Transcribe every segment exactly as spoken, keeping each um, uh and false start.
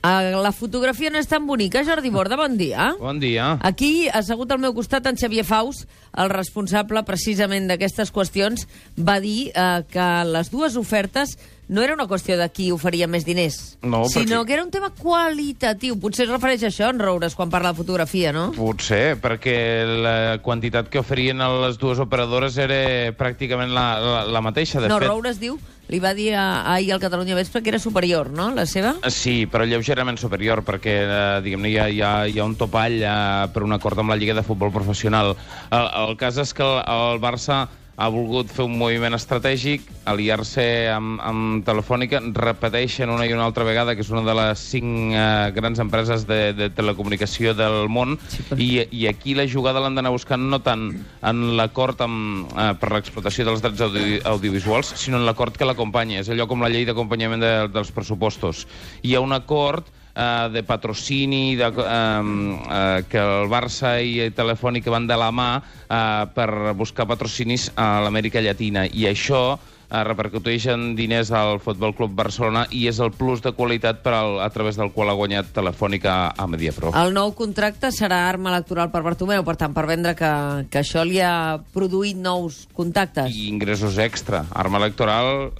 Uh, la fotografia no és tan bonica, Jordi Borda, bon dia. Bon dia. Aquí, assegut al meu costat, en Xavier Faus, el responsable precisament d'aquestes qüestions, va dir uh, que les dues ofertes no era una qüestió de qui oferia més diners, no, sinó perquè... que era un tema qualitatiu. Potser es refereix a això, en Roures, quan parla de fotografia, no? Potser, perquè la quantitat que oferien a les dues operadores era pràcticament la, la, la mateixa. De no, fet... Roures diu, li va dir ahir al Catalunya Vespre que era superior, no?, la seva? Sí, però lleugerament superior, perquè, eh, diguem-ne, hi, ha, hi, ha, hi ha un topall eh, per un acord amb la Lliga de Futbol Professional. El, el cas és que el, el Barça ha volgut fer un moviment estratègic, aliar-se amb, amb Telefònica, repeteixen una i una altra vegada que és una de les cinc eh, grans empreses de, de telecomunicació del món, sí, però... i, i aquí la jugada l'han d'anar buscant no tant en l'acord eh, per l'explotació dels drets audi audiovisuals, sinó en l'acord que l'acompanya. És allò com la llei d'acompanyament de, dels pressupostos. Hi ha un acord Uh, de patrocini de, uh, uh, que el Barça i Telefònica van de la mà uh, per buscar patrocinis a l'Amèrica Llatina, i això uh, repercuteix en diners al Futbol Club Barcelona i és el plus de qualitat per al, a través del qual ha guanyat Telefònica a Mediapro. El nou contracte serà arma electoral per Bartomeu, per tant, per vendre que, que això li ha produït nous contactes. I ingressos extra. Arma electoral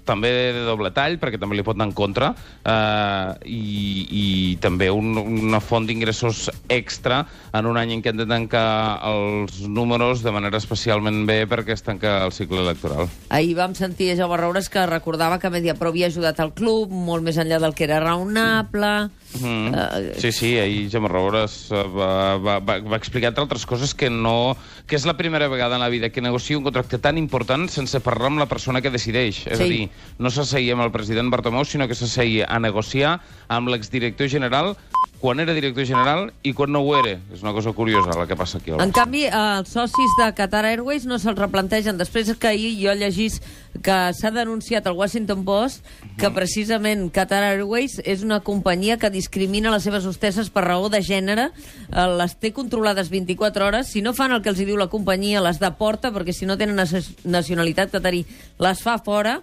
també de doble tall, perquè també li pot anar en contra, uh, i i també un, una font d'ingressos extra en un any en què hem de tancar els números de manera especialment bé perquè es tanca el cicle electoral. Ahir vam sentir a Jaume Roures que recordava que Mediapro havia ajudat al club molt més enllà del que era raonable. Mm. Uh, sí, sí, ahir Jaume Roures va, va, va, va explicar, entre altres coses, que no que és la primera vegada en la vida que negocia un contracte tan important sense parlar amb la persona que decideix. És sí. a dir, no s'asseia amb el president Bartomeu, sinó que s'asseia a negociar amb l'exdirector general quan era director general i quan no ho era. És una cosa curiosa la que passa aquí. En canvi, els socis de Qatar Airways no se'ls replantegen. Després que ahir jo llegís que s'ha denunciat al Washington Post que precisament Qatar Airways és una companyia que discrimina les seves hostesses per raó de gènere, les té controlades vint-i-quatre hores, si no fan el que els diu la companyia les deporta, perquè si no tenen nacionalitat qatarí les fa fora.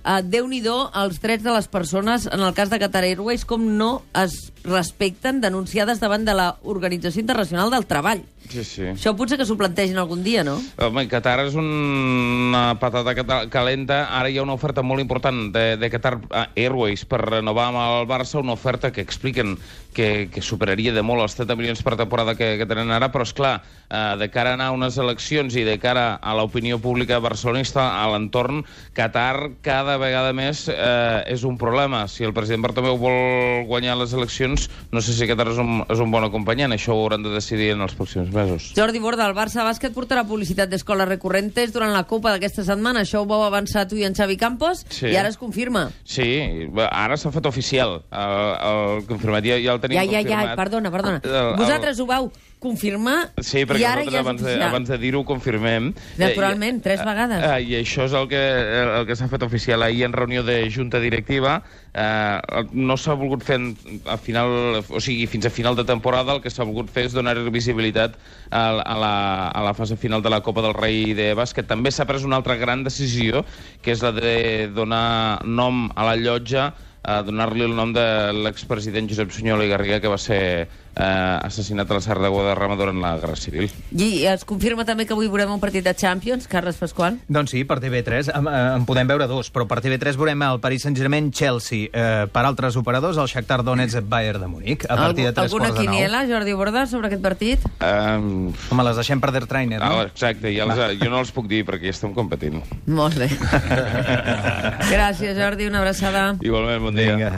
Uh, Déu-n'hi-do els drets de les persones en el cas de Qatar Airways, com no es respecten, denunciades davant de l'Organització Internacional del Treball. Sí, sí. Això potser que s'ho plantegin algun dia, no? Home, Qatar és una patata calenta. Ara hi ha una oferta molt important de, de Qatar Airways per renovar amb el Barça, una oferta que expliquen que, que superaria de molt els trenta milions per temporada que, que tenen ara, però, esclar, eh, de cara a anar a unes eleccions i de cara a l'opinió pública barcelonista, a l'entorn, Qatar cada vegada més eh, és un problema. Si el president Bartomeu vol guanyar les eleccions, no sé si Qatar és un, és un bon acompanyant. Això ho hauran de decidir en els pròxims mesos. Jordi Borda, el Barça Bàsquet portarà publicitat d'escoles recurrentes durant la Copa d'aquesta setmana. Això ho vau avançar tu i en Xavi Campos, sí. I ara es confirma. Sí, ara s'ha fet oficial. El, el confirmat, ja, ja el tenim ja, ja, confirmat. Ja, perdona, perdona. El, el, Vosaltres ho vau confirmar, sí, perquè i ara ja és abans de, oficial. abans de dir-ho ho confirmem. Naturalment, tres vegades. Eh, I això és el que, el que s'ha fet oficial ahir en reunió de junta directiva. Eh, no s'ha volgut fer a final, o sigui, fins a final de temporada. El que s'ha volgut fer és donar visibilitat a, a, la, a la fase final de la Copa del Rei de bàsquet. També s'ha pres una altra gran decisió, que és la de donar nom a la llotja, a donar-li el nom de l'expresident Josep Sunyol i Garriga, que va ser eh, assassinat a la Serra de Guadarrama durant la Guerra Civil. I es confirma també que avui veurem un partit de Champions, Carles Pasqual? Doncs sí, per T V tres. En, en podem veure dos, però per T V tres veurem el Paris Saint-Germain-Chelsea. Eh, per altres operadors, el Shakhtar Donetsk-Bayern de Munic, a partir de tres Alguna quarts de nou. quiniela, Jordi Borda, sobre aquest partit? Um... Home, les deixem per Der Trainer, no? Ah, exacte, ja les, jo no els puc dir perquè ja estem competint. Molt bé. Gràcies, Jordi, una abraçada. Igualment, bon dia. Vinga.